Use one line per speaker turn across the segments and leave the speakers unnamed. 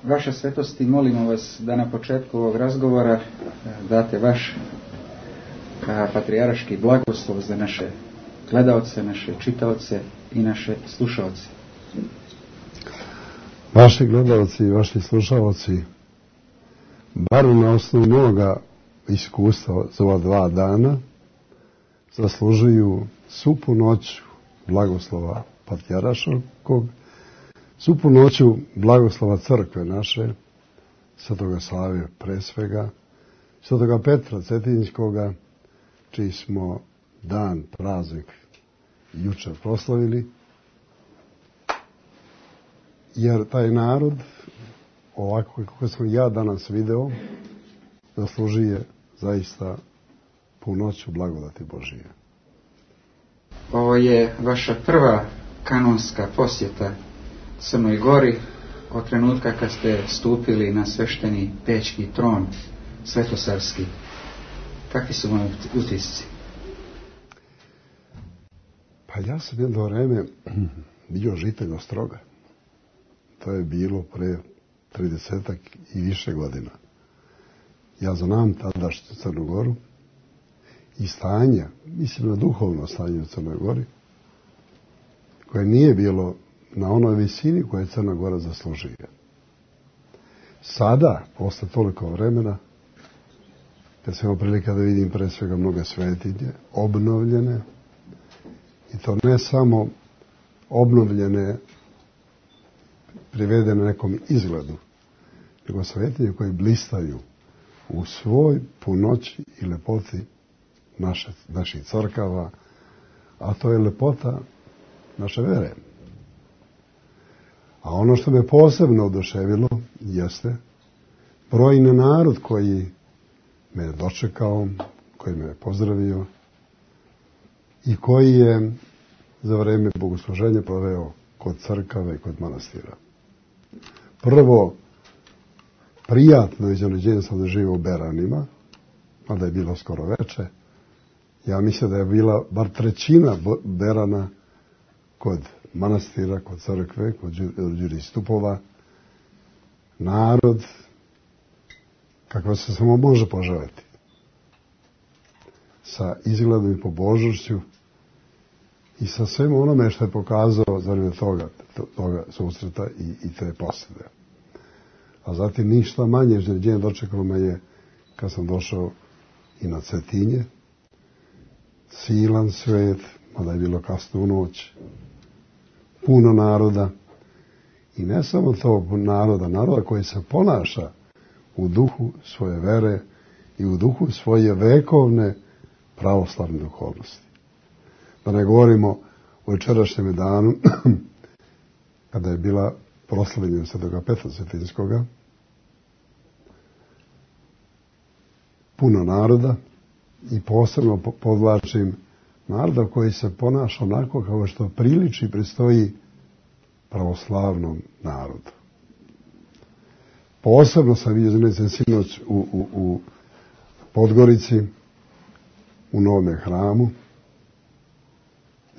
Vaša svetosti, molimo vas da na početku ovog razgovora date vaš patrijaraški blagoslov za naše gledaoce, naše čitaoce i naše slušaoce.
Vaši gledaoci i vaši slušaoci, bar na osnovu moga iskustva za ova 2 dana, zaslužuju svu punoću blagoslova patrijaraškog, svu punoću blagoslova crkve naše, Svetoga Save pre svega, Svetoga Petra Cetinjskoga, čiji smo dan, praznik jučer proslavili, jer taj narod, ovako kako sam ja danas video, zaslužuje zaista punoću blagodati Božije.
Ovo je vaša prva kanonska posjeta Crnoj Gori od trenutka kad ste stupili na svešteni Pećki tron svetosavski. Kakvi su vam utisci?
Pa ja sam jedno vreme bio žitelj Ostroga. To je bilo pre 30 i više godina. Ja znam tadašnju Crnu Goru i stanje, mislim na duhovno stanje u Crnoj Gori, koje nije bilo na onoj visini koje Crna Gora zaslužuje. Sada, posle toliko vremena, kad sam imao prilike da vidim pre svega mnoge svetinje, obnovljene, i to ne samo obnovljene, privedene nekom izgledu, nego svetinje koje blistaju u svoj punoći i lepoti naših crkava, a to je lepota naše vere. A ono što me posebno oduševilo jeste brojni narod koji me je dočekao, koji me je pozdravio i koji je za vreme bogosluženja proveo kod crkava i kod manastira. Prvo, prijatno iznenađenje sam doživio u Beranima, mada je bilo skoro veče. Ja mislim da je bila bar 1/3 Berana kod manastira, kod crkve, kod Đuri Stupova. Narod, kakva se samo može poželjeti, sa izgledom i pobožnošću i sa svemu onome što je pokazao za vreme toga susreta i te posjede. A zatim ništa manje iznenađenje dočekalo me je kad sam došao i na Cetinje, silan svet, mada je bilo kasno u noć, puno naroda, i ne samo to naroda koji se ponaša u duhu svoje vere i u duhu svoje vekovne pravoslavne duhovnosti. Da ne govorimo o jučerašnjem danu, kada je bila proslavljenje Svetoga Petra Cetinjskoga, puno naroda, i posebno podvlačim naroda koji se ponaša onako kao što priliči pristoji pravoslavnom narodu. Posebno sam vidio sinoć u Podgorici, u Novome hramu,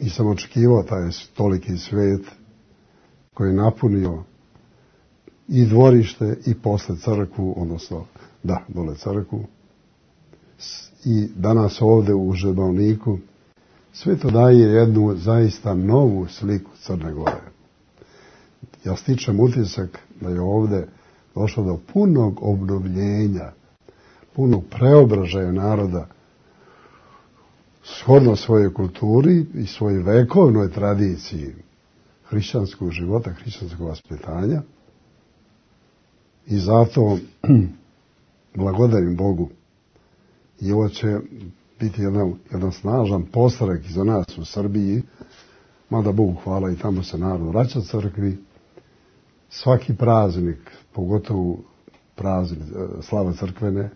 i sam očekivao taj toliki svet koji je napunio i dvorište i posle crkvu, odnosno, dole crkvu, i danas ovde u Žebalniku. Sve to daje jednu zaista novu sliku Crne Gore. Ja stičem utisak da je ovde došlo do punog obnovljenja, punog preobražaja naroda, shodno svojoj kulturi i svojoj vekovnoj tradiciji hrišćanskog života, hrišćanskog vaspitanja. I zato blagodarim Bogu. I ovo će biti jedan snažan postrek za nas u Srbiji, mada Bogu hvala i tamo se narod vraća crkvi. Svaki praznik, pogotovo praznik slava crkvene,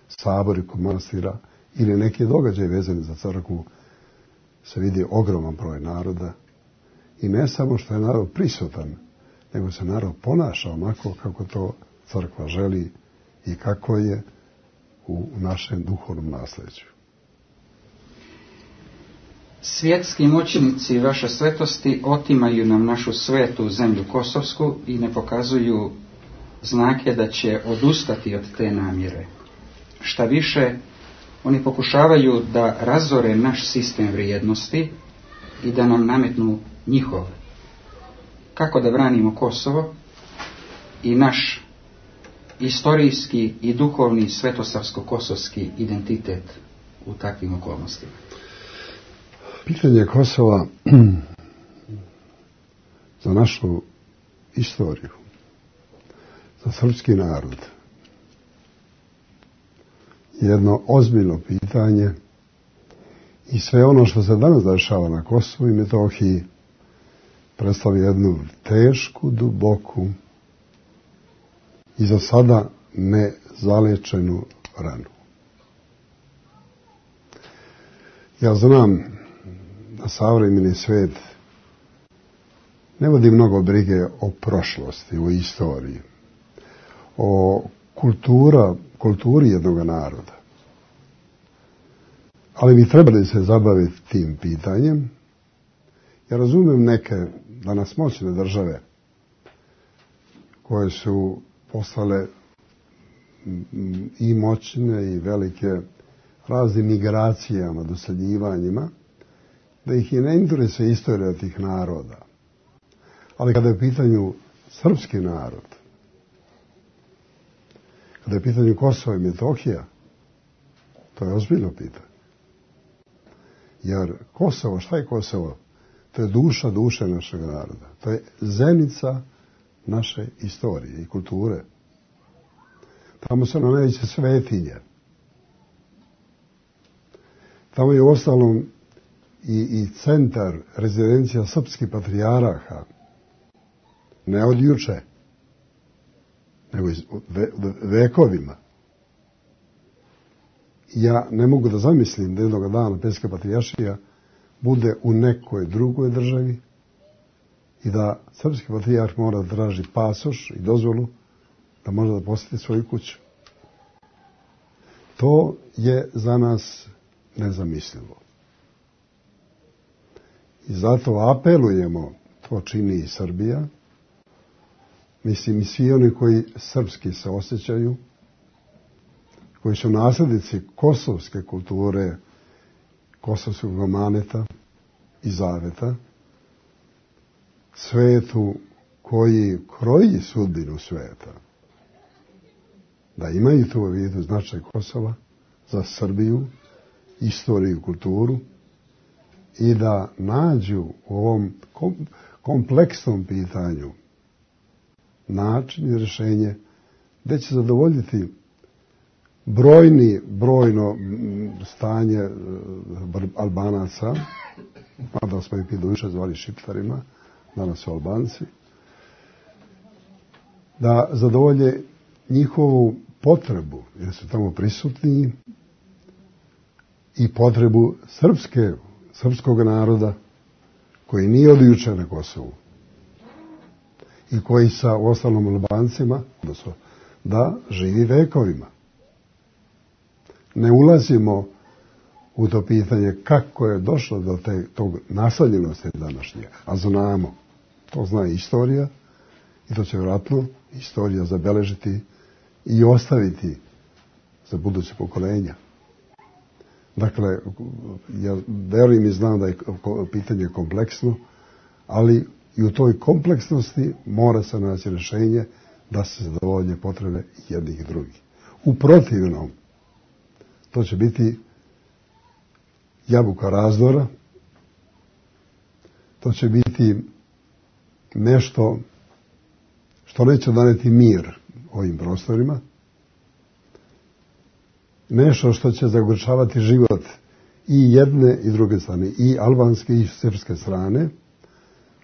sabori kod manastira ili neki događaj vezani za crkvu, se vidi ogroman broj naroda. I ne samo što je narod prisutan, nego se narod ponaša onako kako to crkva želi i kako je u našem duhovnom nasljeđu.
Svjetski moćnici vaše svetosti otimaju nam našu svetu zemlju Kosovsku i ne pokazuju znak je da će odustati od te namjere. Šta više, oni pokušavaju da razore naš sistem vrijednosti i da nam nametnu njihov. Kako da branimo Kosovo i naš istorijski i duhovni svetosavsko-kosovski identitet u takvim okolnostima?
Pitanje Kosova za našu istoriju, za srpski narod, jedno ozbiljno pitanje i sve ono što se danas dešava na Kosovu i Metohiji predstavlja jednu tešku, duboku i za sada nezalečenu ranu. Ja znam da savremeni svet ne vodi mnogo brige o prošlosti, o istoriji, o kulturi jednog naroda. Ali bi trebali se zabaviti tim pitanjem. Ja razumijem neke danas moćne države koje su postale i moćne i velike raznim migracijama, doseljivanjima, da ih i ne interesuje istorija tih naroda. Ali kada je u pitanju srpski narod, kada je u pitanju Kosova i Metohija, to je ozbiljno pitanje. Jer Kosovo, šta je Kosovo? To je duša našeg naroda. To je zenica naše istorije i kulture. Tamo su nam najveće svetinje. Tamo je uostalom i centar, rezidencija srpskih patrijaraha. Ne od juče, nego vekovima. Ja ne mogu da zamislim da jednog dana Pećka patrijaršija bude u nekoj drugoj državi i da srpski patrijarh mora da traži pasoš i dozvolu da može da posjeti svoju kuću. To je za nas nezamislivo. I zato apelujemo, to čini i Srbija, mislim i svi oni koji srpski se osjećaju, koji su naslednici kosovske kulture, kosovskog amaneta i zaveta, svetu koji kroji sudbinu sveta, da imaju to u vidu značaj Kosova za Srbiju, istoriju i kulturu i da nađu u ovom kompleksnom pitanju način i rješenje gdje će zadovoljiti brojno stanje Albanaca, mada smo ih više zvali Šiptarima, danas su Albanci, da zadovolje njihovu potrebu, jer su tamo prisutni, i potrebu srpskog naroda koji nije od juče na Kosovu i koji sa ostalom Albancima, odnosno da živi vekovima. Ne ulazimo u to pitanje kako je došlo do tog naseljenosti današnje, a znamo, to zna istorija i to će vjerojatno istorija zabeležiti i ostaviti za buduće pokolenja. Dakle, ja verujem i znam da je pitanje kompleksno, ali i u toj kompleksnosti mora se naći rješenje da se zadovolje potrebe jednih i drugih. U protivnom, to će biti jabuka razdora, to će biti nešto što neće doneti mir ovim prostorima, nešto što će zagorčavati život i jedne i druge strane, i albanske i srpske strane,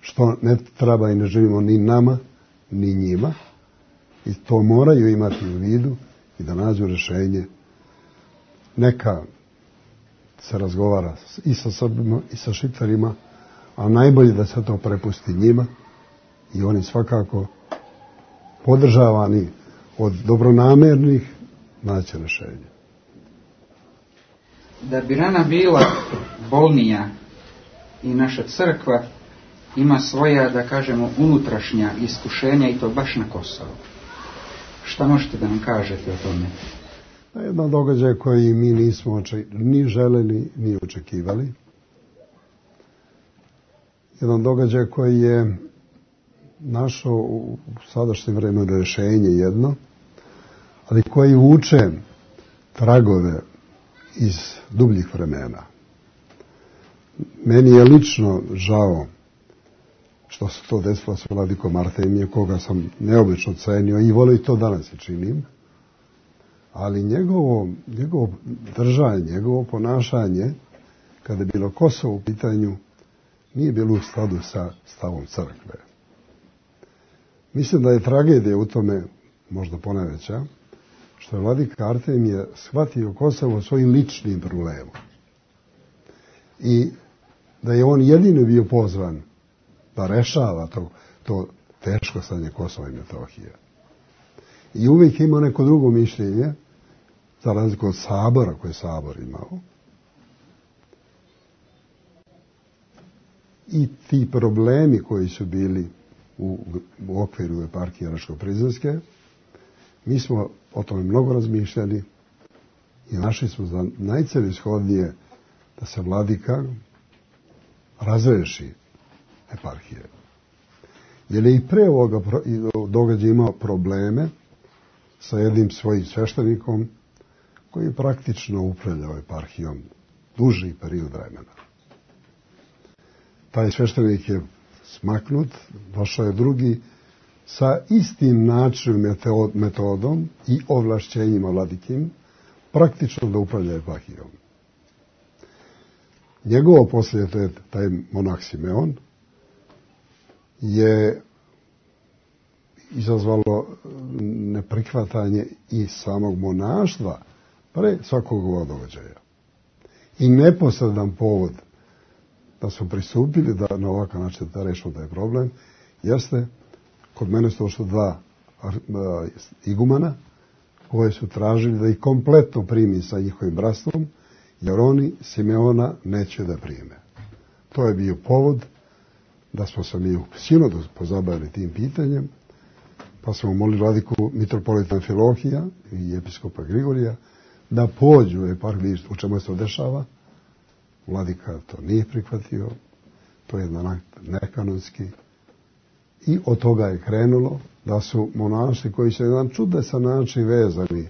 što ne treba i ne želimo ni nama, ni njima, i to moraju imati u vidu i da nađu rješenje. Neka se razgovara i sa Srbima i sa Šiptarima, a najbolje da se to prepusti njima i oni svakako podržavani od dobronamernih naći rješenje.
Da bi rana bila bolnija i naša crkva ima svoja, da kažemo, unutrašnja iskušenja i to baš na Kosovu. Šta možete da nam kažete o tome?
Jedan događaj koji mi nismo ni želeli, ni očekivali. Jedan događaj koji je našao u sadašnjem vremenu rješenje jedno, ali koji vuče tragove iz dubljih vremena. Meni je lično žao što se to desilo sa vladikom Artemije, koga sam neobično cenio i volio i to danas i činim, ali njegovo držanje, njegovo ponašanje, kada je bilo Kosovo u pitanju, nije bilo u skladu sa stavom crkve. Mislim da je tragedija u tome, možda ponajveća, što je vladika Artemije shvatio Kosovo svojim ličnim problemom. I da je on jedini bio pozvan da rešava to teško stanje Kosova i Metohije. I uvijek ima neko drugo mišljenje, za razliku od sabora koje je sabor imao. I ti problemi koji su bili u okviru eparhije Raško-Prizrenske, mi smo o tome mnogo razmišljali i našli smo za najcelishodnije da se vladika razreši eparhije. Jer je i pre ovoga događaja imao probleme sa jednim svojim sveštenikom koji je praktično upravljao eparhijom duži period vremena. Taj sveštenik je smaknut, došao je drugi sa istim načinom, metodom i ovlašćenjima vladikim, praktično da upravlja eparhijom. Njegovo poslije, taj monah Simeon, je izazvalo neprihvatanje i samog monaštva pre svakog ovog događaja. I neposredan povod da su pristupili da na ovakav način da rešimo taj problem, jeste, kod mene su došlo dva igumana koje su tražili da ih kompletno primi sa njihovim bratstvom, jer oni Simeona neće da prime. To je bio povod da smo se mi u sinodu pozabavili tim pitanjem, pa smo molili vladiku mitropolita Amfilohija i episkopa Grigorija da pođu u eparhiju u čemu se to dešava. Vladika to nije prihvatio, to je jedan nekanonski. I od toga je krenulo da su monaši koji su jedan čudesan način vezani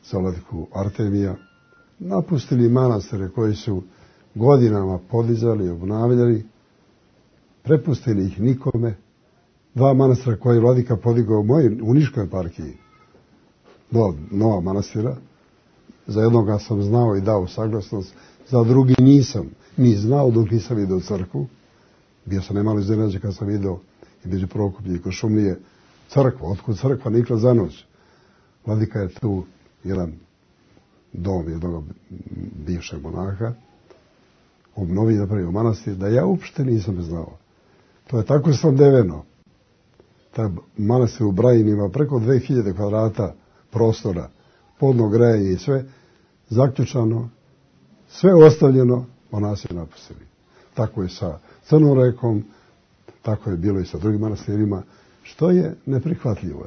za vladiku Artemija, napustili manastire koji su godinama podizali i obnavljali, prepustili ih nikome. Dva manastira koje je vladika podigao u Niškoj eparhiji, nova manastira, za jednoga sam znao i dao saglasnost, za drugi nisam ni znao dok nisam vidio crkvu. Bio sam nemalo iznenađen kad sam vidio i među Prokuplje i Košumlije crkva, otkud crkva nikla za noć. Vladika je tu jedan dom jednog bivšeg monaha obnovio i napravio manastir, da ja uopšte nisam znao. To je tako snabdeveno. Taj manastir u Brajini ima preko 2000 kvadrata prostora, podno grejanje i sve, zaključano, sve ostavljeno, monasi napustili. Tako je sa Crnom rekom, tako je bilo i sa drugim manastirima, što je neprihvatljivo.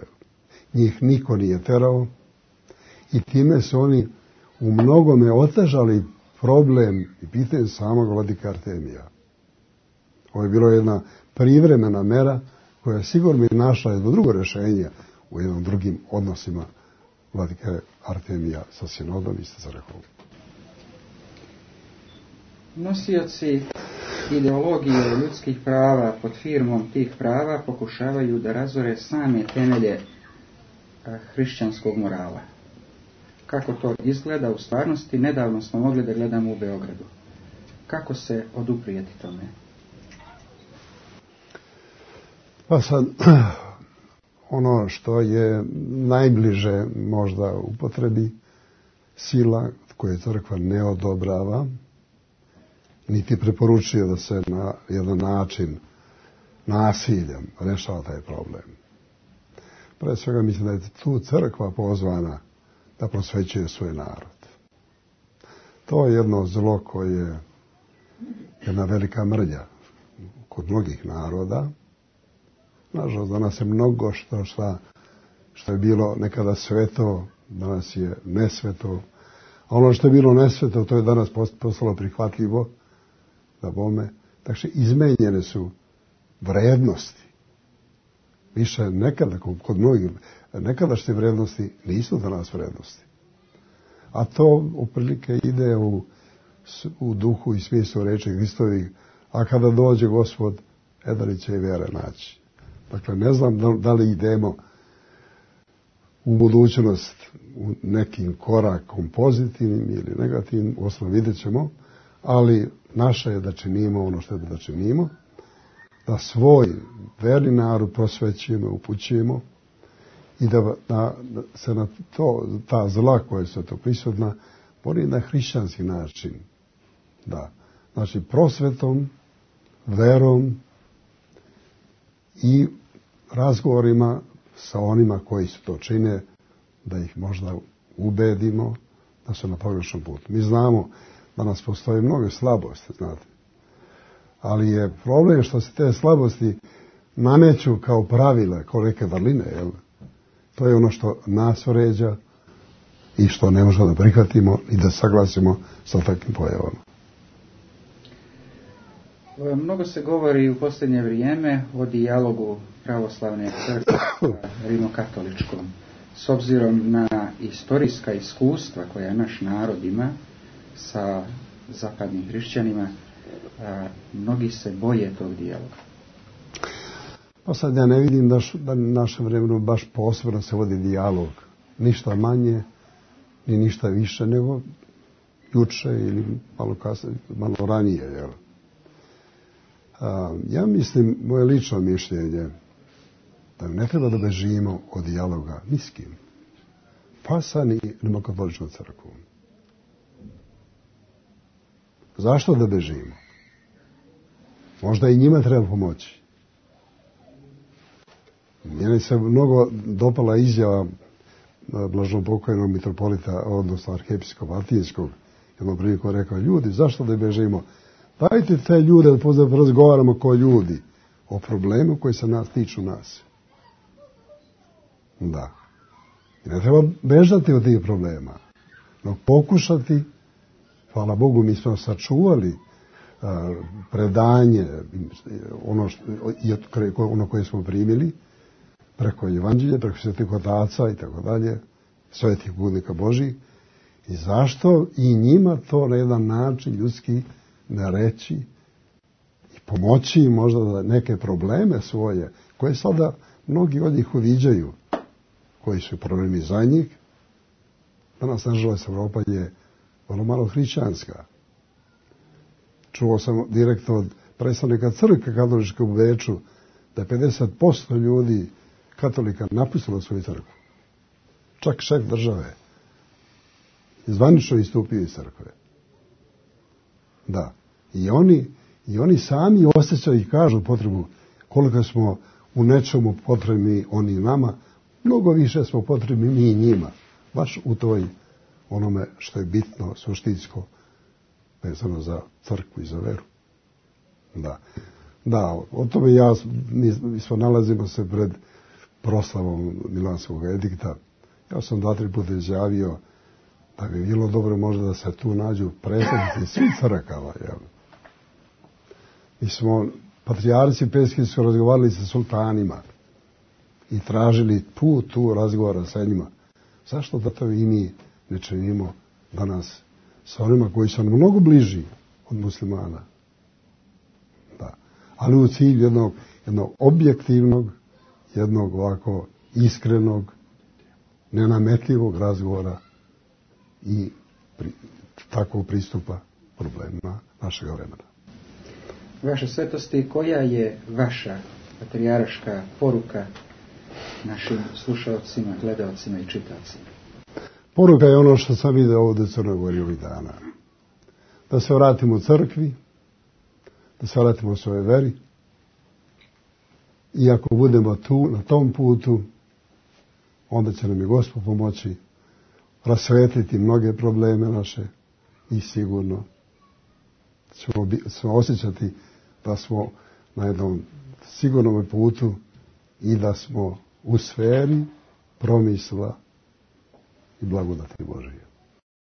Njih niko nije terao i time su oni u mnogome otežali problem i pitanje samog vladika Artemija. Ovo je bilo jedna privremena mera koja je sigurno našla jedno drugo rješenje u jednom drugim odnosima vladike Artemija sa sinodom i sa crkvom.
Nosioci ideologije ljudskih prava pod firmom tih prava pokušavaju da razore same temelje hrišćanskog morala. Kako to izgleda u stvarnosti, nedavno smo mogli da gledamo u Beogradu. Kako se oduprijeti tome?
Pa sad, ono što je najbliže možda upotrebi, sila koje crkva ne odobrava, niti preporučuje da se na jedan način nasiljem rešava taj problem. Pre svega mislim da je tu crkva pozvana da prosvećuje svoj narod. To je jedno zlo koje je jedna velika mrlja kod mnogih naroda. Nažalost, danas je mnogo šta što je bilo nekada sveto, danas je nesveto. A ono što je bilo nesveto, to je danas postalo prihvatljivo, da bome. Takže izmenjene su vrednosti. Više nekada, kod mnogih, nekadašnje vrednosti nisu danas vrednosti. A to otprilike ide u duhu i smislu reči Hristovih, a kada dođe Gospod, da li će i vjere naći. Dakle, ne znam da li idemo u budućnost u nekim korakom pozitivnim ili negativnim, osnovno vidjet ćemo, ali naše je da činimo ono što je da činimo, da svoj verni narod prosvećujemo, upućujemo i da se na to, ta zla koja su to prisutna, bori na hrišćanski način. Da. Znači, prosvetom, verom i razgovorima sa onima koji su to čine, da ih možda ubedimo da su na pogrešnom putu. Mi znamo da nas postoje mnoge slabosti, znate. Ali je problem što se te slabosti nameću kao pravila, kao neke vrline, jel? To je ono što nas vređa i što ne možemo da prihvatimo i da saglasimo sa takvim pojavama.
Mnogo se govori u posljednje vrijeme o dijalogu pravoslavne crkve sa rimokatoličkom. S obzirom na istorijska iskustva koja naš narod ima sa zapadnim hrišćanima, mnogi se boje tog dijaloga.
Pa sad ja ne vidim da na našem vremenu baš posebno se vodi dijalog. Ništa manje, ni ništa više nego juče ili malo kasnije, malo ranije, jel? Ja mislim, moje lično mišljenje, da ne treba da bežimo od dijaloga ni s kim. Pa sa ni rimokatoličkom crkvom. Zašto da bežimo? Možda i njima treba pomoći. Meni se mnogo dopala izjava blažnopokojnog mitropolita, odnosno arhiepiskopa Atinskog, jednom priliku rekao, ljudi, zašto da bežimo? Dajte te ljude da razgovaramo kao ljudi o problemu koji se nas tiču nas. Da. I ne treba bežati od tih problema, no pokušati, hvala Bogu, mi smo sačuvali predanje, ono koje smo primili, preko evanđelja, preko svetih otaca i tako dalje, svetih budnika Božih, i zašto i njima to na jedan način ljudski ne reći i pomoći im možda da neke probleme svoje, koje sada mnogi od njih uviđaju, koji su problemi za njih. Danas, nažalost, Evropa je vrlo malo hrišćanska. Čuo sam direktno od predstavnika crkve katoličke u Beču da je 50% ljudi katolika napustilo svoju crkvu. Čak šef države zvanično istupio iz crkve. Da. I oni sami osjećaju i kažu potrebu koliko smo u nečemu potrebni oni nama, mnogo više smo potrebni mi njima. Baš u toj onome što je bitno, suštinsko, vezano za crkvu i za veru. Da. Da, o tome mi smo nalazimo se pred proslavom Milanskog edikta. Ja sam 2-3 puta izjavio da bi bilo dobro možda da se tu nađu predstavnici svih crkava. Mi smo, patrijarci Peski su razgovarali sa sultanima i tražili put tu razgovora sa njima. Zašto da to i mi ne činimo danas sa onima koji su mnogo bliži od muslimana? Da. Ali u cilju jednog objektivnog, jednog ovako iskrenog, nenametljivog razgovora i takvog pristupa problemima našeg vremena.
Vaše svetosti, koja je vaša patrijaraška poruka našim slušalcima, gledalcima i čitacima?
Poruka je ono što sam vidio ovdje u Crnoj Gori ovih dana. Da se vratimo u crkvi, da se vratimo u svojoj veri i ako budemo tu, na tom putu, onda će nam i Gospod pomoći rasvetliti mnoge probleme naše i sigurno ćemo osjećati da smo na jednom sigurnom putu i da smo u sferi promisla i blagodati Božije.